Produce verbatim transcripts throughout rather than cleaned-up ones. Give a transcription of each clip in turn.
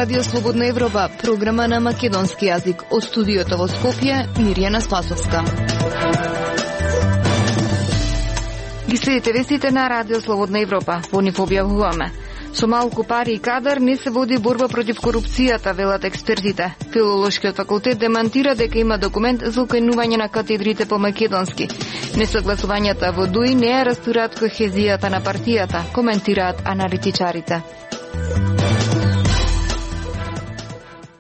Радио Слободна Европа, програма на македонски јазик. Од студиото во Скопје, Мирјана Спасовска. Ги следите вестите на Радио Слободна Европа. Во нив објавуваме: со малку пари и кадар не се води борба против корупцијата, велат експертите. Филолошкиот факултет демантира дека има документ за укајнување на катедрите по македонски. Несогласувањата во ДУИ не ја растураат кохезијата на партијата, коментираат аналитичарите.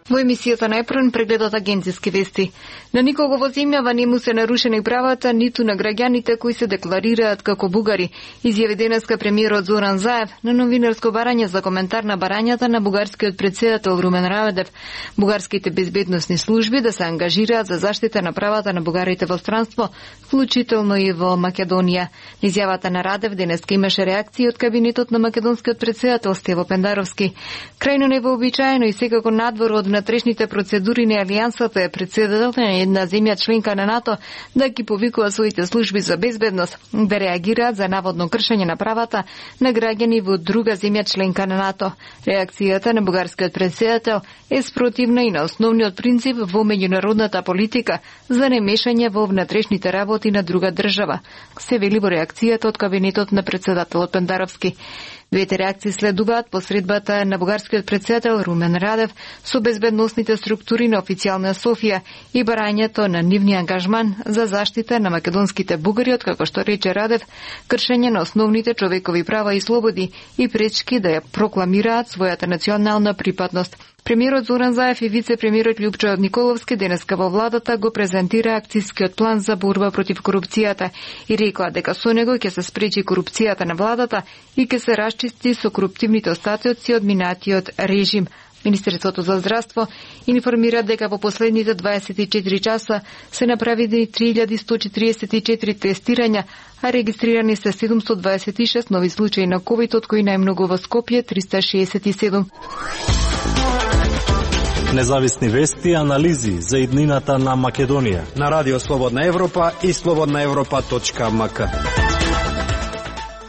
Во емисијата на Епрон прегледот агенциски вести. На никого во земјава не му се нарушени правата, ниту на граѓаните кои се декларираат како бугари, изјави денеска премиерот Зоран Заев на новинарско барање за коментар на барањата на бугарскиот претседател Румен Радев. Бугарските безбедносни служби да се ангажираат за заштита на правата на бугарите во странство, вклучително и во Македонија. Изјавата на Радев денеска имаше реакции од кабинетот на македонскиот претседател Стево Пендаровски. Крајно невообичаено и секако надвор од внатрешните процедури на Алијансата е претседател на една земја членка на НАТО да ги повикува своите служби за безбедност да реагираат за наводно кршење на правата на граѓани во друга земја членка на НАТО. Реакцијата на бугарскиот претседател е спротивна и на основниот принцип во меѓународната политика за немешање во внатрешните работи на друга држава, се вели во реакцијата од кабинетот на претседателот Пендаровски. Двете реакции следуваат по средбата на бугарскиот претседател Румен Радев со безбедносните структури на официјална Софија и барањето на нивни ангажман за заштита на македонските бугари, од како што рече Радев, кршење на основните човекови права и слободи и пречки да ја прокламираат својата национална припадност. Премиерот Зоран Заев и вице-премиерот Љупчо Николовски денеска во владата го презентира акцијскиот план за борба против корупцијата и рекоа дека со него ќе се спречи корупцијата на владата и ќе се расчисти со коруптивните остатоци од минатиот режим. Министерството за здравство информира дека во последните дваесет и четири часа се направени три илјади сто четиридесет и четири тестирања, а регистрирани се седумстотини дваесет и шест нови случаи на ковид, од кои најмногу во Скопје триста шеесет и седум. Независни вести и анализи за иднината на Македонија на Радио Слободна Европа и слободна европа точка ем ка.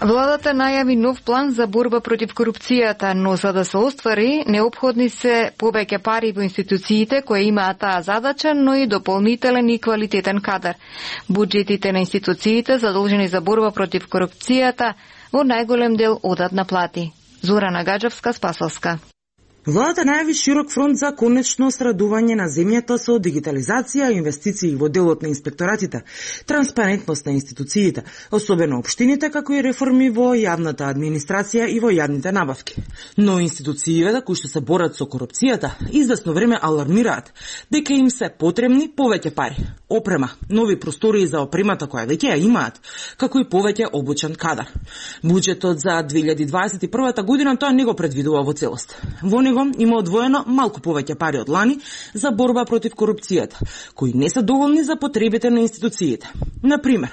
Владата најави нов план за борба против корупцијата, но за да се оствари, необходни се повеќе пари во институциите кои имаат таа задача, но и дополнителен и квалитетен кадар. Буџетите на институциите задолжени за борба против корупцијата во најголем дел одат на плати. Зорана Гаджевска, Спасовска. Владата најави широк фронт за конечно срадување на земјата со дигитализација, инвестиции во делот на инспекторатите, транспарентност на институциите, особено општините, како и реформи во јавната администрација и во јавните набавки. Но институциите кои што се борат со корупцијата извесно време алармираат дека им се потребни повеќе пари, опрема, нови простории за опремата која веќе ја имаат, како и повеќе обучен кадар. Буџетот за две илјади дваесет и прва година тоа не го предвидува во целост. Во него има одвоено малку повеќе пари од лани за борба против корупцијата, кои не се доволни за потребите на институциите. Например,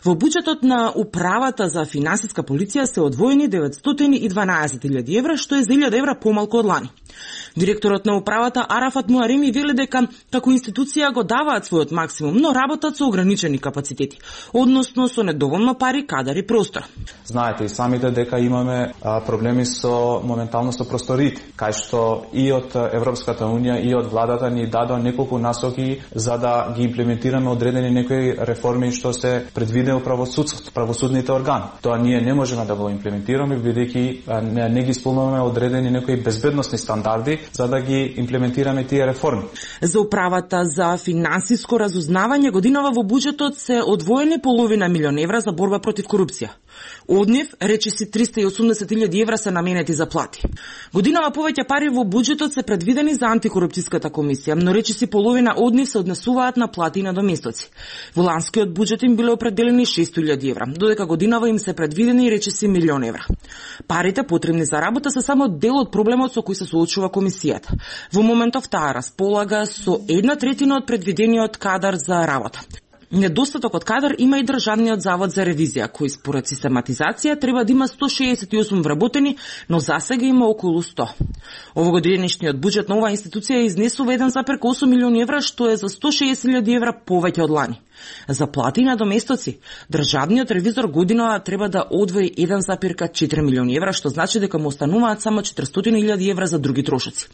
во буџетот на Управата за финансиска полиција се одвоени деветстотини и дванаесет илјади евра, што е за илјада евра помалку од лани. Директорот на Управата Арафат Муареми вели дека како институција го даваат својот максимум, но работат со ограничени капацитети, односно со недоволно пари, кадар и простор. Знаете и самите дека имаме а, проблеми со моментално со просториите, кај што и од Европската унија и од владата ни дадоа неколку насоки за да ги имплементираме одредени некои реформи што се предвидени во правосудството, правосудните органи. Тоа ние не можеме да го имплементираме бидејќи не, не ги исполнуваме одредени некои безбедносни стандарди за да ги имплементираме тие реформи. За Управата за финансиско разузнавање годинава во буџетот се одвоени половина милион евра за борба против корупција. Од нив речиси триста и осумдесет илјади евра се наменети за плати. Годинава повеќе пари во буџетот се предвидени за антикорупцијската комисија, но речиси половина од нив се однесуваат на плати и надоместоци. Во ланскиот буџет им биле определени шест илјади евра, додека годинава им се предвидени речиси милион евра. Парите потребни за работа се само дел од проблемот со кој се соочува комисијата. Во моментов таа располага со една третина од предвидениот кадар за работа. Недостаток од кадар има и Државниот завод за ревизија, кој според систематизација треба да има сто шеесет и осум вработени, но засега има околу сто. Овогодинешниот буџет на оваа институција изнесува еден запир осум милиони евра, што е за сто шеесет илјади евра повеќе од лани. За плати и надоместоци, државниот ревизор година треба да одвои еден запир четири милиони евра, што значи дека му остануваат само четиристотини илјади евра за други трошоци.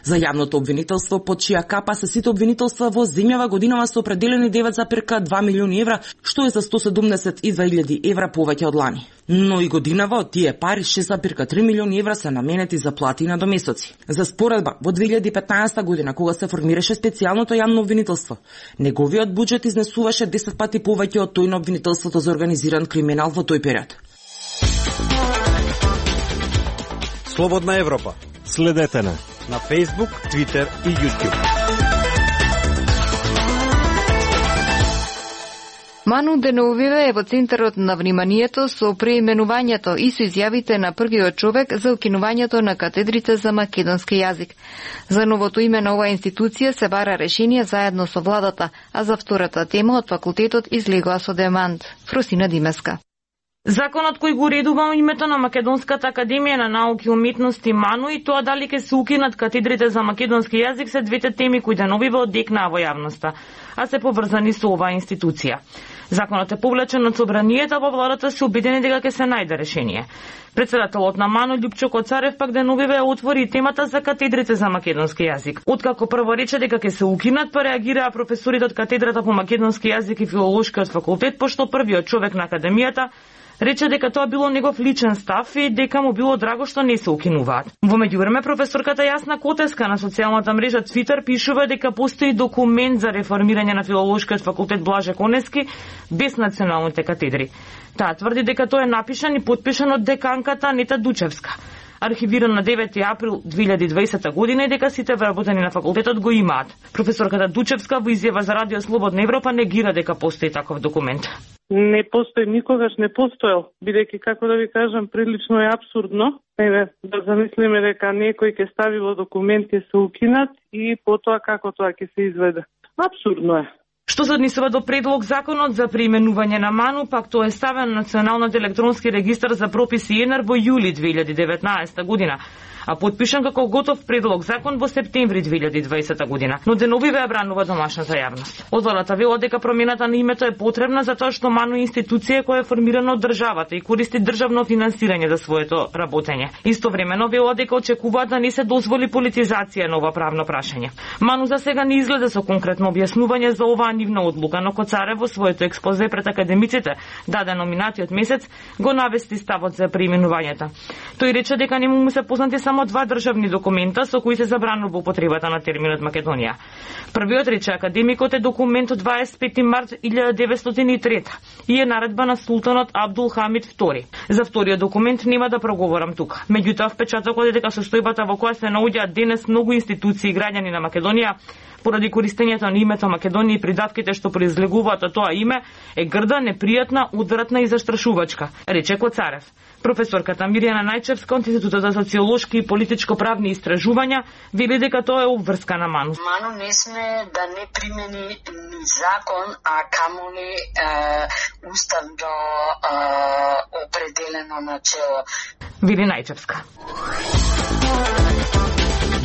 За јавното обвинителство, под чија капа се сите обвинителства во земјава, годинава се определени девет запирка два милиони евра, што е за сто седумдесет и две илјади евра повеќе од лани. Но и годинава од тие пари шест запирка три милиони евра се наменети за плати и надомесоци. За споредба, во две илјади и петнаесетта година, кога се формираше специјалното јавно обвинителство, неговиот буџет изнесуваше десет пати повеќе од тој на обвинителството за организиран криминал во тој период. Слободна Европа. Следете на на Facebook, Twitter и YouTube. Ману Деновиве е во центарот на вниманието со преименувањето и со изјавите на првиот човек за укинувањето на катедрите за македонски јазик. За новото име на оваа институција се бара решение заедно со владата, а за втората тема од факултетот излегоа со демант. Фросина Димеска. Законот кој го уредува името на Македонската академија на науки и уметности МАНУ и тоа дали ќе се укинат катедрите за македонски јазик се двете теми кои деновиве одекнаа во јавноста, а се поврзани со оваа институција. Законот е повлечен од собранието, а во владата се убедени дека ќе се најде решение. Председателот на МАНУ Љупчо Коцарев пак деновиве отвори темата за катедрите за македонски јазик. Откако прво рече дека ќе се укинат, па реагираа професорите од катедрата по македонски јазик и филолошкиот факултет, пошто првиот човек на академијата рече дека тоа било негов личен став и дека му било драго што не се укинуваат. Во меѓувреме професорката Јасна Котеска на социјалната мрежа Твитер пишува дека постои документ за реформирање на филолошкиот факултет Блаже Конески без националните катедри. Таа тврди дека тој е напишан и потпишан од деканката Анита Дучевска, архивиран на девети април две илјади и дваесета година и дека сите вработени на факултетот го имаат. Професорката Дучевска во изјава за Радио Слободна Европа негира дека постои таков документ. Не постои, никогаш не постоел, бидејќи, како да ви кажам, прилично е абсурдно. Еве, да замислиме дека некој ќе стави во документ ќе се укинат и потоа како тоа ќе се изведе. Абсурдно е. Што се однесува до предлог законот за преименување на МАНУ, пак тоа е ставен на Националниот електронски регистар за прописи ЕНЕР во јули две илјади и деветнаесета година, а потпишан како готов предлог закон во септември две илјади и дваесета година. Но деновиве ја бранува домашната јавност. Од владата вела дека промената на името е потребна затоа што МАНУ е институција која е формирана од државата и користи државно финансирање за своето работење. Истовремено вела дека очекуваат да не се дозволи политизација на ова правно прашање. МАНУ за сега не изгледа со конкретно објаснување за оваа нивна одлука, но Коцарев во своето експозе пред академиците, дадено минатиот месец, го навести ставот за преименувањето. Тој рече дека не му се познати само два државни документа со кои се забранува употребата на терминот Македонија. Првиот, рече академикот, е документ од дваесет и пети март илјада деветстотини и трета и е наредба на султанот Абдул Хамид втори. За вториот документ нема да проговорам тука. Меѓутоа, впечатокот е дека состојбата во која се наоѓаат денес многу институции и граѓани на Македонија поради користењето на името Македонија и придавките што произлегуваат од тоа име е грда, непријатна, удратна и застрашувачка, рече Коцарев. Професорката Мирјана Најчевска од Институтот за социолошки и политичко-правни истражувања вели дека тоа е обврска на МАНУ. МАНУ не сме да не примени ни закон, а камоли е, уставно е, определено начело. Вели Најчевска.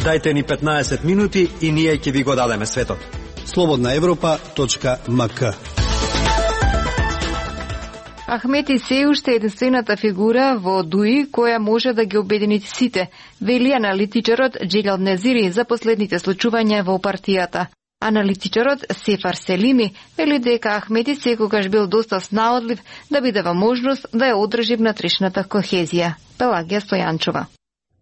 Дајте ни петнаесет минути и ние ќе ви го дадеме светот. слободна европа точка ем ка. Ахмети се уште е единствената фигура во ДУИ која може да ги обедини сите, вели аналитичарот Джелал Незири за последните случувања во партијата. Аналитичарот Сефар Селими вели дека Ахмети секогаш бил доста снаодлив да биде во можност да ја одржи внатрешната кохезија. Пелагија Стојанчова.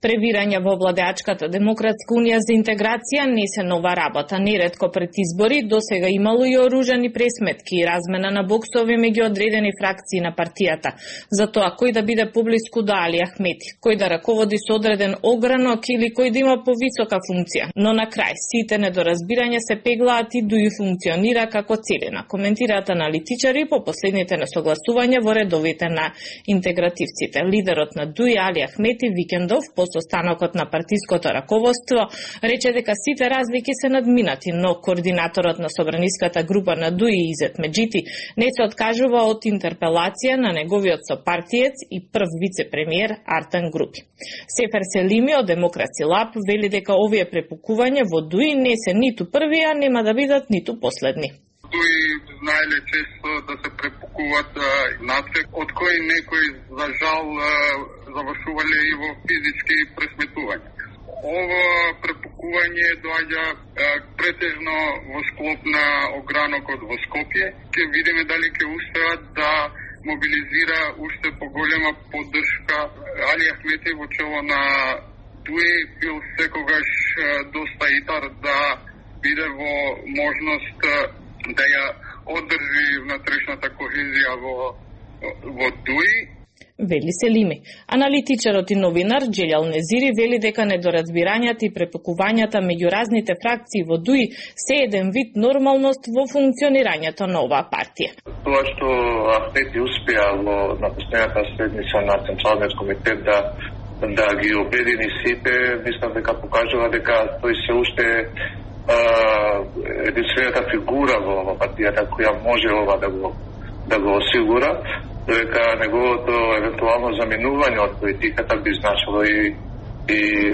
Превирање во владеачката Демократска унија за интеграција не се нова работа. Неретко пред избори досега имало и оружани пресметки и размена на боксови меѓу одредени фракции на партијата. За тоа кој да биде поблиску до Али Ахмети, кој да раководи со одреден огранок или кој да има повисока функција. Но на крај сите недоразбирања се пеглаат и ДУИ функционира како целина. Коментираат аналитичари по последните несогласувања во редовите на интегративците. Лидерот на ДУИ Али Ахмети викендов по состанокот на партиското раководство рече дека сите разлики се надминати, но координаторот на собраниската група на ДУИ Изет Меджити не се откажува од интерпелација на неговиот сопартиец и прв вице-премиер Артан Групи. Сефер Селими од Демокраци Лаб вели дека овие препукувања во ДУИ не се ниту први, а нема да бидат ниту последни. ДУИ знаеле често да се препукуваат нацек, од кои некои за жал завршувале и во физички пресметувања. Ова препукување препукување доаѓа претежно во склоп на огранокот во Скопје. Ќе видиме дали ќе успеат да мобилизира уште поголема поддршка. Али Ахмети во чело на Дуи бил секогаш доста итар да биде во можност да ја одржи внатрешната кохезија во, во Дуи. Вели Селими. Аналитичарот и новинар Джелјал Незири вели дека недоразбирањата и препукувањата меѓу разните фракции во Дуи се еден вид нормалност во функционирањето на оваа партија. Тоа што Ахмети успеа во на последната седница на Централниот комитет да да ги обедини сите, мислам дека покажува дека тој се уште единствената фигура во партијата која може ова да го да го осигура, дека неговото евентуално заминување од политиката би значило и и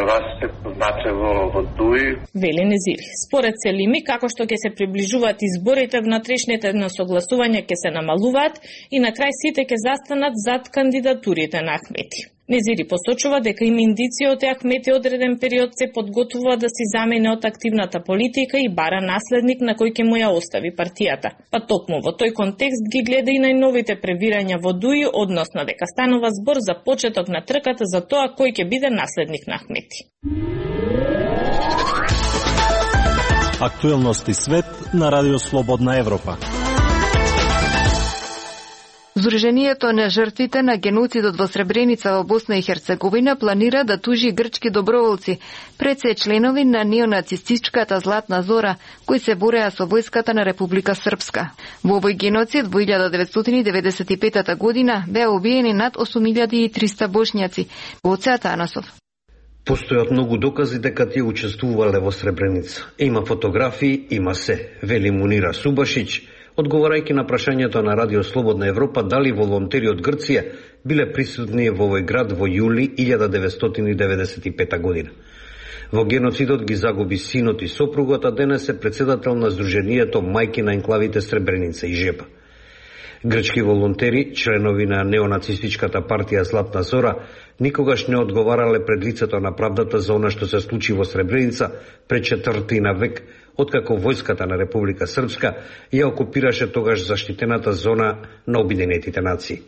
растет значи во, во Дуи. Вели Незири. Според Селими, како што ќе се приближуваат изборите, внатрешните несогласувања ќе се намалуваат и на крај сите ќе застанат зад кандидатурите на Ахмети. Незири посочува дека има индиција од Ахмети одреден период се подготвува да си замине од активната политика и бара наследник на кој ќе му ја остави партијата. Па токму во тој контекст ги гледа и најновите превирања во Дуи, односно дека станува збор за почеток на трката за тоа кој ќе биде наследник на Ахмети. Актуелности свет на Радио Слободна Европа. Здруженијето на жртвите на геноцидот во Сребреница во Босна и Херцеговина планира да тужи грчки доброволци, пред се членови на неонацистичката Златна Зора, кои се бореа со војската на Република Српска. Во овој геноцид во илјада деветстотини деветдесет и петата година беа убиени над осум илјади и триста бошњаци. Гоце Атанасов. Постојат многу докази дека тие учествувале во Сребреница. Има фотографии, има се, вели Мунира Субашиќ, одговарајќи на прашањето на Радио Слободна Европа дали волонтери од Грција биле присутни во овој град во јули илјада деветстотини деветдесет и пета година. Во геноцидот ги загуби синот и сопругата, денес е председател на Сдруженијето Мајки на енклавите Сребреница и Жепа. Грчки волонтери, членови на неонацистичката партија Златна Зора, никогаш не одговарале пред лицето на правдата за она што се случи во Сребреница пред четвртина век, откако војската на Република Српска ја окупираше тогаш заштитената зона на Обединетите нации.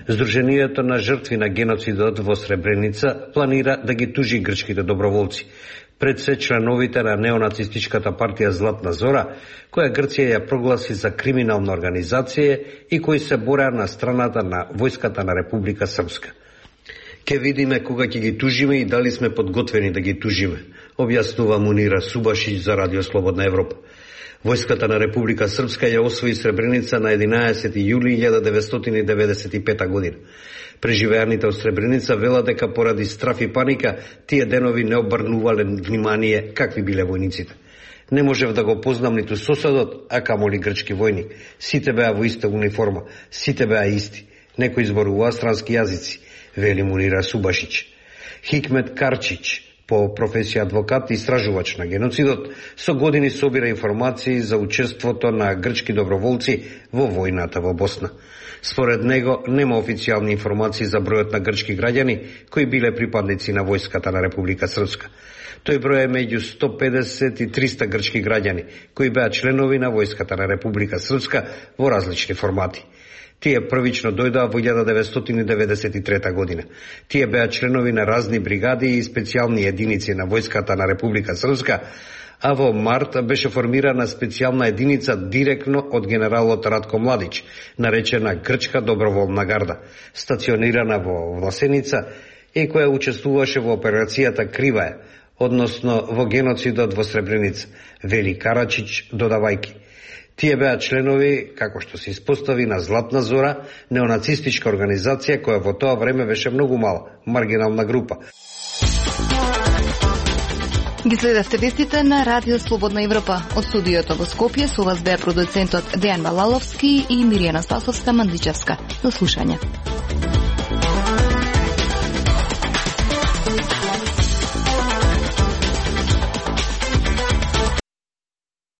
Сдруженијето на жртви на геноцидот во Сребреница планира да ги тужи грчките доброволци, пред се членовите на неонацистичката партија Златна Зора, која Грција ја прогласи за криминална организација и кои се бореа на страната на војската на Република Српска. Ке видиме кога ќе ги тужиме и дали сме подготвени да ги тужиме, објаснува Мунира Субашиќ за Радио Слободна Европа. Војската на Република Српска ја освои Сребреница на единаесети јули илјада деветстотини деветдесет и пета година. Преживеаните од Сребреница велат дека поради страф и паника тие денови не обрнувале внимание какви биле војниците. Не можев да го познам ниту соседот, а камоли грчки војник. Сите беа во иста униформа, сите беа исти. Некои зборуваа странски јазици, вели Мунира Субашиќ. Хикмет Карчич, по професија адвокат и истражувач на геноцидот, со години собира информации за учеството на грчки доброволци во војната во Босна. Според него нема официјални информации за бројот на грчки граѓани кои биле припадници на војската на Република Српска. Тој број е меѓу сто педесет и триста грчки граѓани кои беа членови на војската на Република Српска во различни формати. Тие првично дојдоа во илјада деветстотини деветдесет и трета година. Тие беа членови на разни бригади и специјални единици на војската на Република Српска, а во март беше формирана специјална единица директно од генералот Радко Младич, наречена Грчка доброволна гарда, стационирана во Власеница и која учествуваше во операцијата Криваја, односно во геноцидот во Сребреница, вели Карачич додавајки. Тие беа членови, како што се испостави, на Златна Зора, неонацистичка организација која во тоа време беше многу мала, маргинална група. Ги следевте вестите на Радио Слободна Европа. Од студиото во Скопје со вас беа продуцентот Дејан Балаловски и Миријана Спасовска-Мандличевска. До слушање.